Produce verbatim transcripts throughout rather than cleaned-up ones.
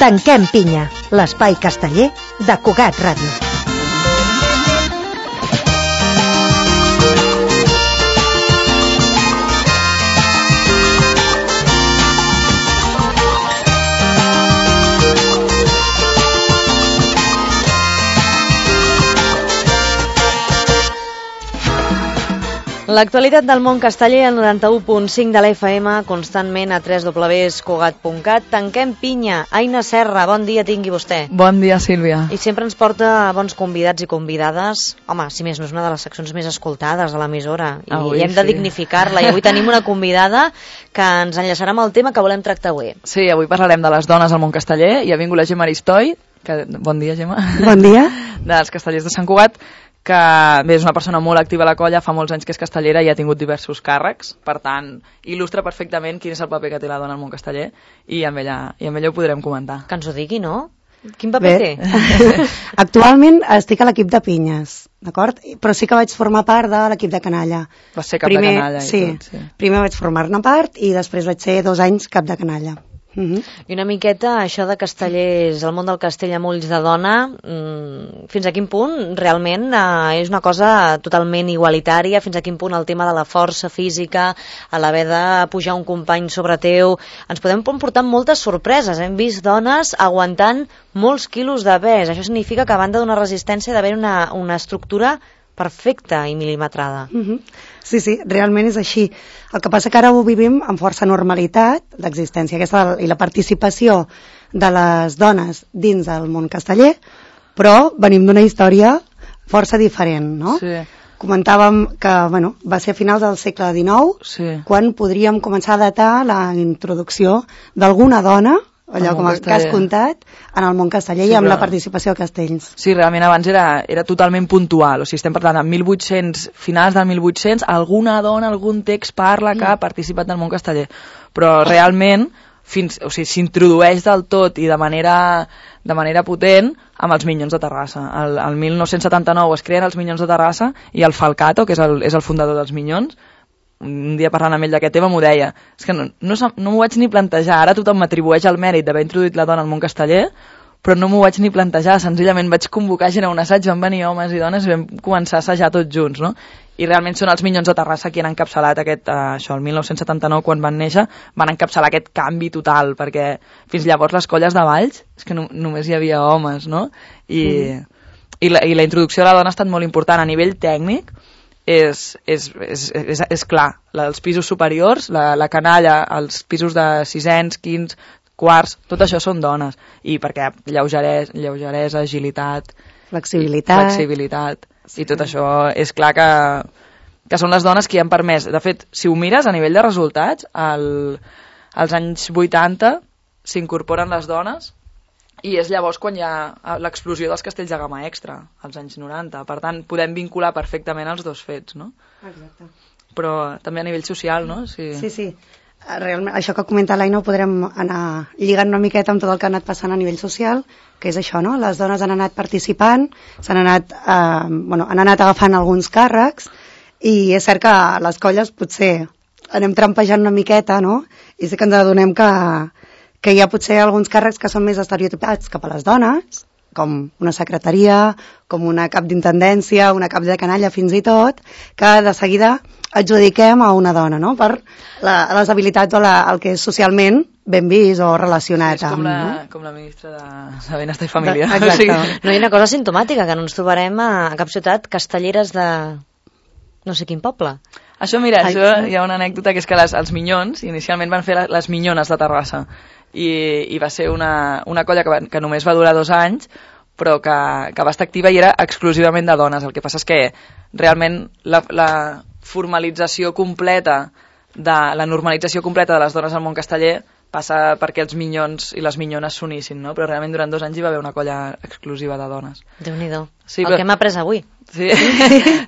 Tanquem pinya, l'espai casteller de Cugat Ràdio. L'actualitat del món casteller al noranta-u punt cinc de l'F M, constantment a w w w punt cugat punt cat. Tanquem pinya. Aina Serra, bon dia tingui vostè. Bon dia, Sílvia. I sempre ens porta bons convidats i convidades. Home, si més no és una de les seccions més escoltades a l'emissora. I, avui, i hem de sí. dignificar-la. I avui tenim una convidada que ens enllaçarà amb el tema que volem tractar avui. Sí, avui parlarem de les dones al món casteller i ha vingut la Gemma Aristoi, que... bon dia, Gemma. Bon dia. Dels Castellers de Sant Cugat, que bé, és una persona molt activa a la colla, fa molts anys que és castellera i ha tingut diversos càrrecs, per tant, il·lustra perfectament quin és el paper que té la dona al món casteller i amb ella, i amb ella ho podrem comentar. Que ens ho digui, no? Quin paper bé. té? Actualment estic a l'equip de pinyes, d'acord? Però sí que vaig formar part de l'equip de canalla. Vas ser cap primer, de canalla i sí, tot, sí. Primer vaig formar-ne part i després vaig ser dos anys cap de canalla. Uh-huh. I una miqueta això de castellers, el món del castell amb ulls de dona, mmm, fins a quin punt realment eh, és una cosa totalment igualitària, fins a quin punt el tema de la força física, a l'haver de pujar un company sobre teu, ens podem portar moltes sorpreses. Hem vist dones aguantant molts quilos de pes. Això significa que a banda d'una resistència d'haver una, una estructura perfecta i mil·limetrada. Uh-huh. Sí, sí, realment és així. El que passa que ara ho vivim amb força normalitat, l'existència aquesta i la participació de les dones dins del món casteller, però venim d'una història força diferent, no? Sí. Comentàvem que bueno, va ser a finals del segle dinou, sí. quan podríem començar a datar la introducció d'alguna dona, allò com el que has contat, en el món casteller sí, i amb però... la participació a castells. Sí, realment abans era, era totalment puntual, o sigui, estem parlant en mil vuit-cents, finals del mil vuit-cents, alguna dona, algun text parla que ha participat en el món casteller, però realment fins, o sigui, s'introdueix del tot i de manera, de manera potent amb els Minyons de Terrassa. El, el mil nou-cents setanta-nou es creen els Minyons de Terrassa i el Falcato, que és el, és el fundador dels Minyons, un dia parlant amb ell d'aquest tema m'ho deia, és que no, no, no m'ho vaig ni plantejar, ara tothom m'atribueix el mèrit d'haver introduït la dona al món casteller, però no m'ho vaig ni plantejar, senzillament vaig convocar gent a un assaig, van venir homes i dones i vam començar a assajar tots junts, no? I realment són els Minyons de Terrassa qui han encapçalat aquest, uh, això, el mil nou-cents setanta-nou, quan van néixer, van encapçalar aquest canvi total, perquè fins llavors les colles de Valls, és que no, només hi havia homes, no? I, mm. i, la, i la introducció de la dona ha estat molt important a nivell tècnic. És, és, és, és, és clar, els pisos superiors, la, la canalla, els pisos de sisens, quins, quarts, tot això són dones, i perquè lleugeresa, lleugeresa agilitat, flexibilitat, flexibilitat sí. I tot això és clar que, que són les dones qui han permès. De fet, si ho mires a nivell de resultats, al, als anys vuitanta s'incorporen les dones i és llavors quan hi ha l'explosió dels castells de gamma extra, als anys noranta. Per tant, podem vincular perfectament els dos fets, no? Exacte. Però també a nivell social, no? Sí, sí. sí. Realment, això que comenta l'Aina ho podrem anar lligant una miqueta amb tot el que ha anat passant a nivell social, que és això, no? Les dones han anat participant, s'han anat, eh, bueno, han anat agafant alguns càrrecs, i és cert que a les colles potser anem trampejant una miqueta, no? I sí que ens adonem que que hi ha potser alguns càrrecs que són més estereotipats cap a les dones, com una secretaria, com una cap d'intendència, una cap de canalla fins i tot, que de seguida adjudiquem a una dona, no? Per la, les habilitats o la, el que és socialment ben vist o relacionat sí, és com amb... La, no? com la ministra de, de Benestar i Família. De, exacte. O sigui... No hi ha una cosa simptomàtica, que no ens trobarem a, a cap ciutat castelleres de no sé quin poble. Això, mira, Ai, això, sí. hi ha una anècdota que és que les, els Minyons inicialment van fer les, les Minyones de Terrassa i, i va ser una, una colla que, va, que només va durar dos anys però que, que va estar activa i era exclusivament de dones. El que passa és que realment la, la formalització completa, de, la normalització completa de les dones al món casteller passa perquè els Minyons i les Minyones s'unissin, no? Però realment durant dos anys hi va haver una colla exclusiva de dones. Déu-n'hi-do. Sí, el però... que hem après avui. Sí.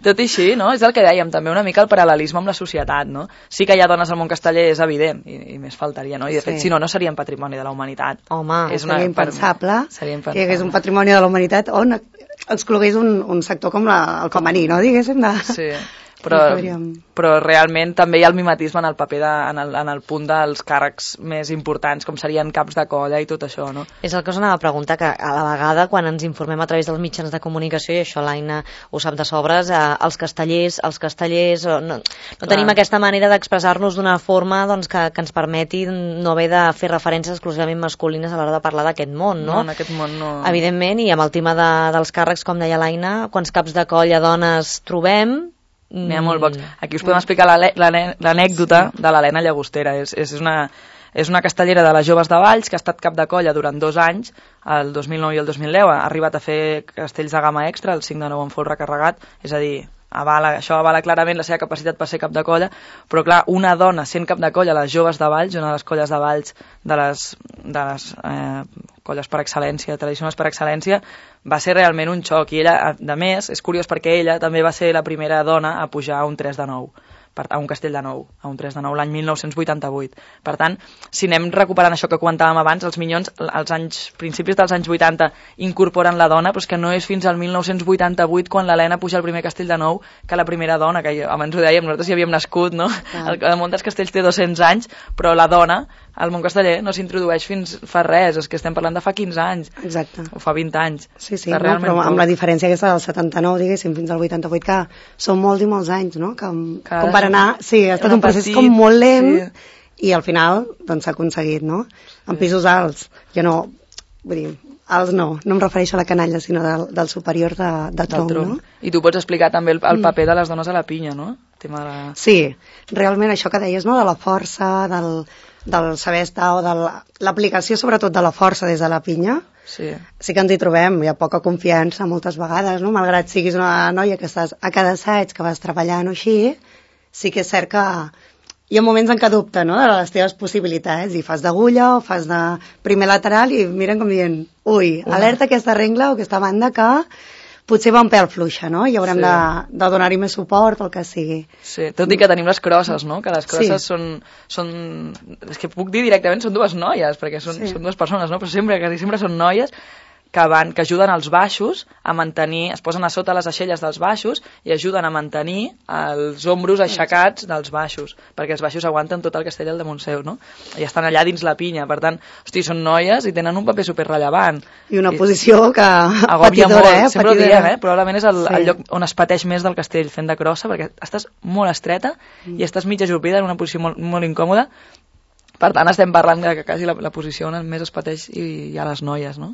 Tot i així, no? És el que dèiem, també una mica el paral·lelisme amb la societat, no? Sí que hi ha dones al món casteller, és evident, i, i més faltaria, no? I de fet, sí. si no, no serien patrimoni de la humanitat. Home, és una... seria impensable, seria impensable que hi hagués un patrimoni de la humanitat on exclogués un, un sector com la, el femení, no? Diguéssim, de... Sí. però, podríem... però realment també hi ha el mimetisme en el paper de, en, el, en el punt dels càrrecs més importants, com serien caps de colla i tot això, no? És el que us anava a preguntar, que a la vegada quan ens informem a través dels mitjans de comunicació, i això l'Aina ho sap de sobres, eh, els castellers, els castellers, no, no tenim aquesta manera d'expressar-nos d'una forma doncs, que, que ens permeti no haver de fer referències exclusivament masculines a l'hora de parlar d'aquest món, no? No, en aquest món no... Evidentment, i amb el tema de, dels càrrecs, com deia l'Aina, quants caps de colla dones trobem. N'hi ha molt pocs. Aquí us podem explicar l'anècdota de l'Helena Llagostera. És, és, una, és una castellera de les joves de Valls que ha estat cap de colla durant dos anys, el dos mil nou i el dos mil deu. Ha arribat a fer castells de gamma extra, el cinc de nou en fol recarregat, és a dir, avala, això avala clarament la seva capacitat per ser cap de colla, però clar, una dona sent cap de colla a les joves de Valls, una de les colles de Valls, de les, de les eh, colles per excel·lència, tradicionals per excel·lència, va ser realment un xoc. I ella, a més, és curiós perquè ella també va ser la primera dona a pujar a un tres de nou, per, a un castell de nou, a un tres de nou, l'any mil nou-cents vuitanta-vuit. Per tant, si anem recuperant això que comentàvem abans, els Minyons, als anys, principis dels anys vuitanta, incorporen la dona, però és que no és fins al mil nou-cents vuitanta-vuit, quan l'Helena puja al primer castell de nou, que la primera dona, que abans ho dèiem, nosaltres hi havíem nascut, no? Ah. El, el món dels castells té dos-cents anys, però la dona, al món casteller, no s'introdueix fins fa res, és que estem parlant de fa quinze anys. Exacte. O fa vint anys. Sí, sí, no, però amb la diferència aquesta del setanta-nou, diguéssim, fins al vuitanta-vuit, que són molts i molts anys, no? Que, com per anar... Sí, ha estat un procés petit, com molt lent, sí. I al final, doncs, s'ha aconseguit, no? En pisos alts, jo no... Vull dir, alts no, no em refereixo a la canalla, sinó del, del superior de, de tronc, tronc, no? I tu pots explicar també el, el paper de les dones a la pinya, no? El tema de la... Sí, realment això que deies, no? De la força, del... del saber estar o de l'aplicació sobretot de la força des de la pinya, sí. Sí que ens hi trobem, hi ha poca confiança moltes vegades, no? Malgrat siguis una noia que estàs a cada assaig, que vas treballant o així, sí que és cert que hi ha moments en què dubte, no?, de les teves possibilitats, i fas d'agulla o fas de primer lateral i miren com dient, ui, una. Alerta aquesta regla o aquesta banda que potser va un pèl fluixa, no? I haurem sí. de, de donar-hi més suport o el que sigui. Sí, tot i que tenim les crosses, no? Que les crosses sí. són, són... És que puc dir directament, són dues noies, perquè són, sí. són dues persones, no? Però sempre, quasi sempre són noies que, van, que ajuden als baixos a mantenir, es posen a sota les aixelles dels baixos i ajuden a mantenir els ombros aixecats dels baixos, perquè els baixos aguanten tot el castell al damunt seu, no? I estan allà dins la pinya, per tant, hosti, són noies i tenen un paper superrellevant. I una I, posició que... Agòbia molt, eh? sempre ho diem, eh? Probablement és el, sí. el lloc on es pateix més del castell, fent de crossa, perquè estàs molt estreta mm. i estàs mig ajupida en una posició molt, molt incòmoda. Per tant, estem parlant de que quasi la, la posició on més es pateix i hi ha les noies, no?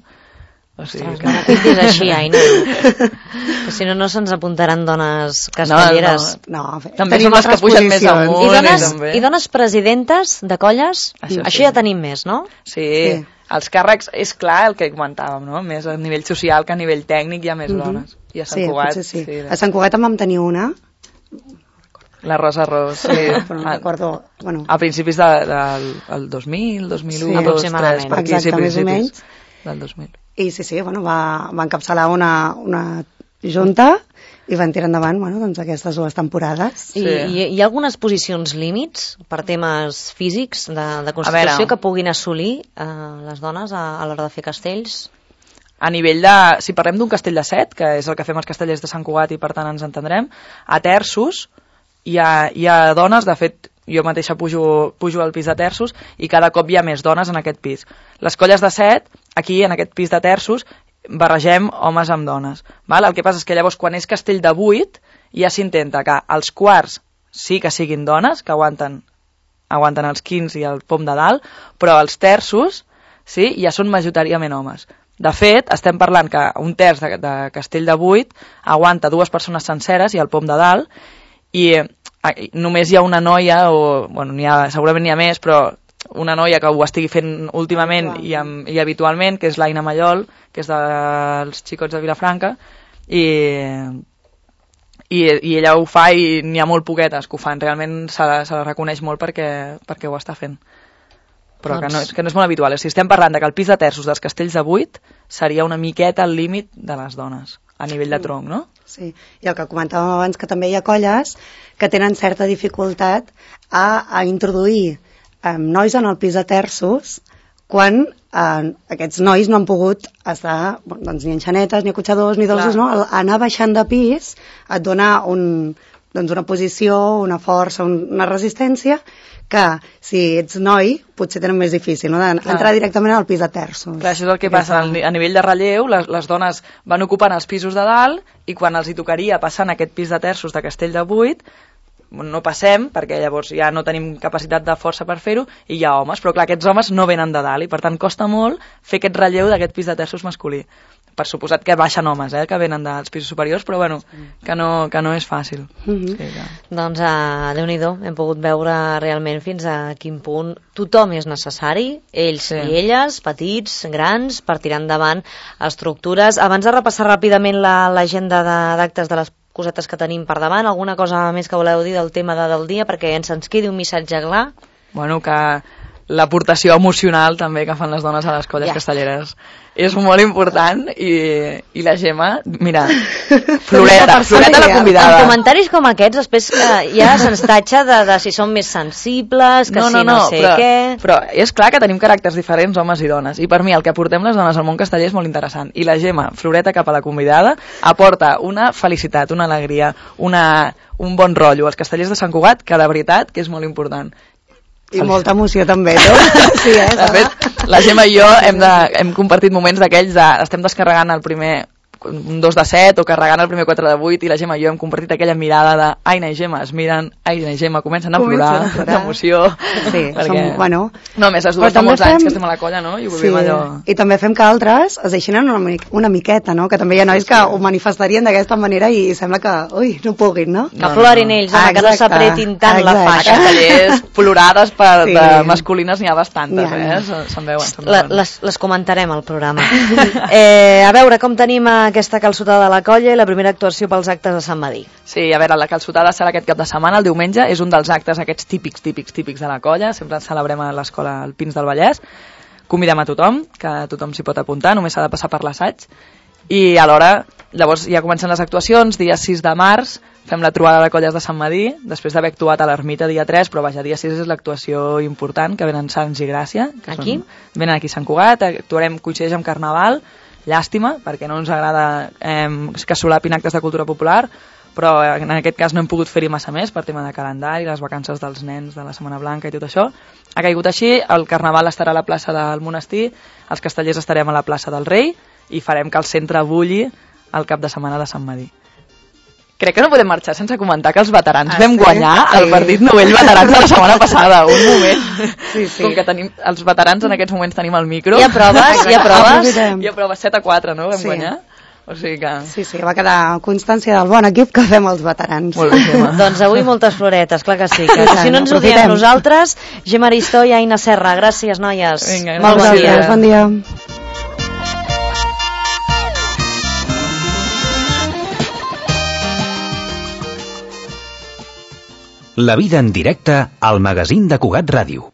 O sigui, que... No diguis així, Aina. Que si no, no se'ns apuntaran dones castelleres. No, no. no també són les que pugen més amunt. I dones, i, i dones presidentes de colles, això, això sí. ja tenim més, no? Sí, sí, els càrrecs, és clar el que comentàvem, no? Més a nivell social que a nivell tècnic hi ha més mm-hmm. dones. I a Sant sí, Cugat... Sí. Sí, a Sant Cugat en vam tenir una. La Rosa Ros, sí. Però no recordo... Bueno. A principis del de, de, dos mil, dos mil u, sí, dos, tres, per aquí, exacte, sí, més o menys. Del dos mil. I sí, sí, bueno, va, va encapçalar una, una junta i van tirar endavant, bueno, doncs aquestes dues temporades. I sí. hi, hi ha algunes posicions límits per temes físics de, de constitució que puguin assolir eh, les dones a, a l'hora de fer castells? A nivell de... Si parlem d'un castell de set, que és el que fem els castellers de Sant Cugat i per tant ens entendrem, a terços hi ha, hi ha dones, de fet jo mateixa pujo, pujo al pis de terços i cada cop hi ha més dones en aquest pis. Les colles de set, aquí en aquest pis de terços, barregem homes amb dones. Val? El que passa és que llavors quan és castell de vuit ja s'intenta que els quarts sí que siguin dones, que aguanten, aguanten els quinze i el pom de dalt, però els terços sí, ja són majoritàriament homes. De fet, estem parlant que un terç de, de castell de vuit aguanta dues persones senceres i el pom de dalt, i només hi ha una noia, o bueno, n'hi ha, segurament n'hi ha més, però una noia que ho estigui fent últimament i, amb, i habitualment, que és l'Aina Mallol, que és dels Xicots de Vilafranca, i, i, i ella ho fa i n'hi ha molt poquetes que ho fan, realment se la, se la reconeix molt perquè, perquè ho està fent. Però doncs... que, no, que no és molt habitual. Si estem parlant de que el pis de terços dels castells de vuit seria una miqueta al límit de les dones, a nivell de tronc, no? Sí, i el que comentàvem abans, que també hi ha colles que tenen certa dificultat a, a introduir eh, nois en el pis de terços quan eh, aquests nois no han pogut estar doncs, ni enxanetes, ni acotxadors, ni dolços, no? Anar baixant de pis et dona un, doncs una posició, una força, una resistència, que si ets noi potser tenen més difícil, no? d'entrar directament al pis de terços. Clar, això és el que passa, a nivell de relleu, les, les dones van ocupant els pisos de dalt i quan els hi tocaria passar en aquest pis de terços de Castell de Vuit, no passem, perquè llavors ja no tenim capacitat de força per fer-ho, i hi ha homes, però clar, aquests homes no venen de dalt, i per tant costa molt fer aquest relleu d'aquest pis de terços masculí. Per suposat que baixen homes, eh, que venen dels pisos superiors, però bueno, que no, que no és fàcil. Mm-hmm. Sí, que... Doncs, uh, Déu-n'hi-do, hem pogut veure realment fins a quin punt tothom és necessari, ells sí. i elles, petits, grans, per tirar endavant estructures. Abans de repassar ràpidament l'agenda la, d'actes de les cosetes que tenim per davant, alguna cosa més que voleu dir del tema de, del dia, perquè ens ens quedi un missatge clar? Bueno, que l'aportació emocional també que fan les dones a les colles ja. castelleres és molt important i, i la Gemma, mira, Floreta, Floreta la convidada. En comentaris com aquests després eh, ja se'ns tatxa de, de si són més sensibles, que no, no, si no, no sé però, què... Però és clar que tenim caràcters diferents, homes i dones, i per mi el que aportem les dones al món casteller és molt interessant. I la Gemma, Floreta, cap a la convidada, aporta una felicitat, una alegria, una, un bon rotllo als castellers de Sant Cugat, que de veritat que és molt important. I molta emoció també, no? Sí, eh? De fet, la Gemma i jo hem, de, hem compartit moments d'aquells de... Estem descarregant el primer un dos de set o carregant el primer quatre de vuit i la Gemma i jo hem compartit aquella mirada de Aina i Gemma es miren, Aina i Gemma comencen a plorar d'emoció. Sí, perquè... som, bueno... No, més les dues fa molts fem... anys que estem a la colla, no? I ho sí. allò... I també fem que altres es deixin una, una miqueta, no? Que també hi ha nois que ho manifestarien d'aquesta manera i sembla que, ui, no puguin, no? Que plorin ells, home, que no s'apretin tant la faixa. Castellers plorades per, sí. de masculines n'hi ha bastantes, eh? Se'n veuen. La, les, les comentarem al programa. eh, a veure, com tenim aquesta calçotada de la colla i la primera actuació pels actes de Sant Madí. Sí, a veure, la calçotada serà aquest cap de setmana, el diumenge, és un dels actes aquests típics, típics, típics de la colla, sempre celebrem a l'escola Alpins del Vallès, convidem a tothom, que tothom s'hi pot apuntar, només s'ha de passar per l'assaig, i alhora, llavors ja comencen les actuacions, dia sis de març, fem la trobada de colles de Sant Madí, després d'haver actuat a l'Ermita dia tres, però vaja, dia sis és l'actuació important, que venen Sants i Gràcia. Que aquí? Són, venen aquí a Sant Cugat, actuarem, coincideix amb Carnaval, llàstima, perquè no ens agrada eh, que solapin actes de cultura popular, però en aquest cas no hem pogut fer-hi massa més per tema de calendari, les vacances dels nens de la Setmana Blanca i tot això. Ha caigut així, el Carnaval estarà a la plaça del Monestir, els castellers estarem a la plaça del Rei i farem que el centre bulli el cap de setmana de Sant Madí. Crec que no podem marxar sense comentar que els veterans ah, vam sí? guanyar sí. el partit novell veterans de la setmana passada. Un moment. Sí, sí. Com que tenim, els veterans en aquests moments tenim el micro. Hi ha proves? Hi ha proves? Hi ha proves set a quatre, no? Vam sí. guanyar. O sigui que... Sí, sí, va quedar constància del bon equip que fem els veterans. Molt bé, Gemma. Doncs avui moltes floretes, clar que sí. Que si no ens ho diem nosaltres, Gemma Aristó i Aina Serra. Gràcies, noies. Vinga, molt bon dia. Bon dia. La vida en directe al magazín de Cugat Ràdio.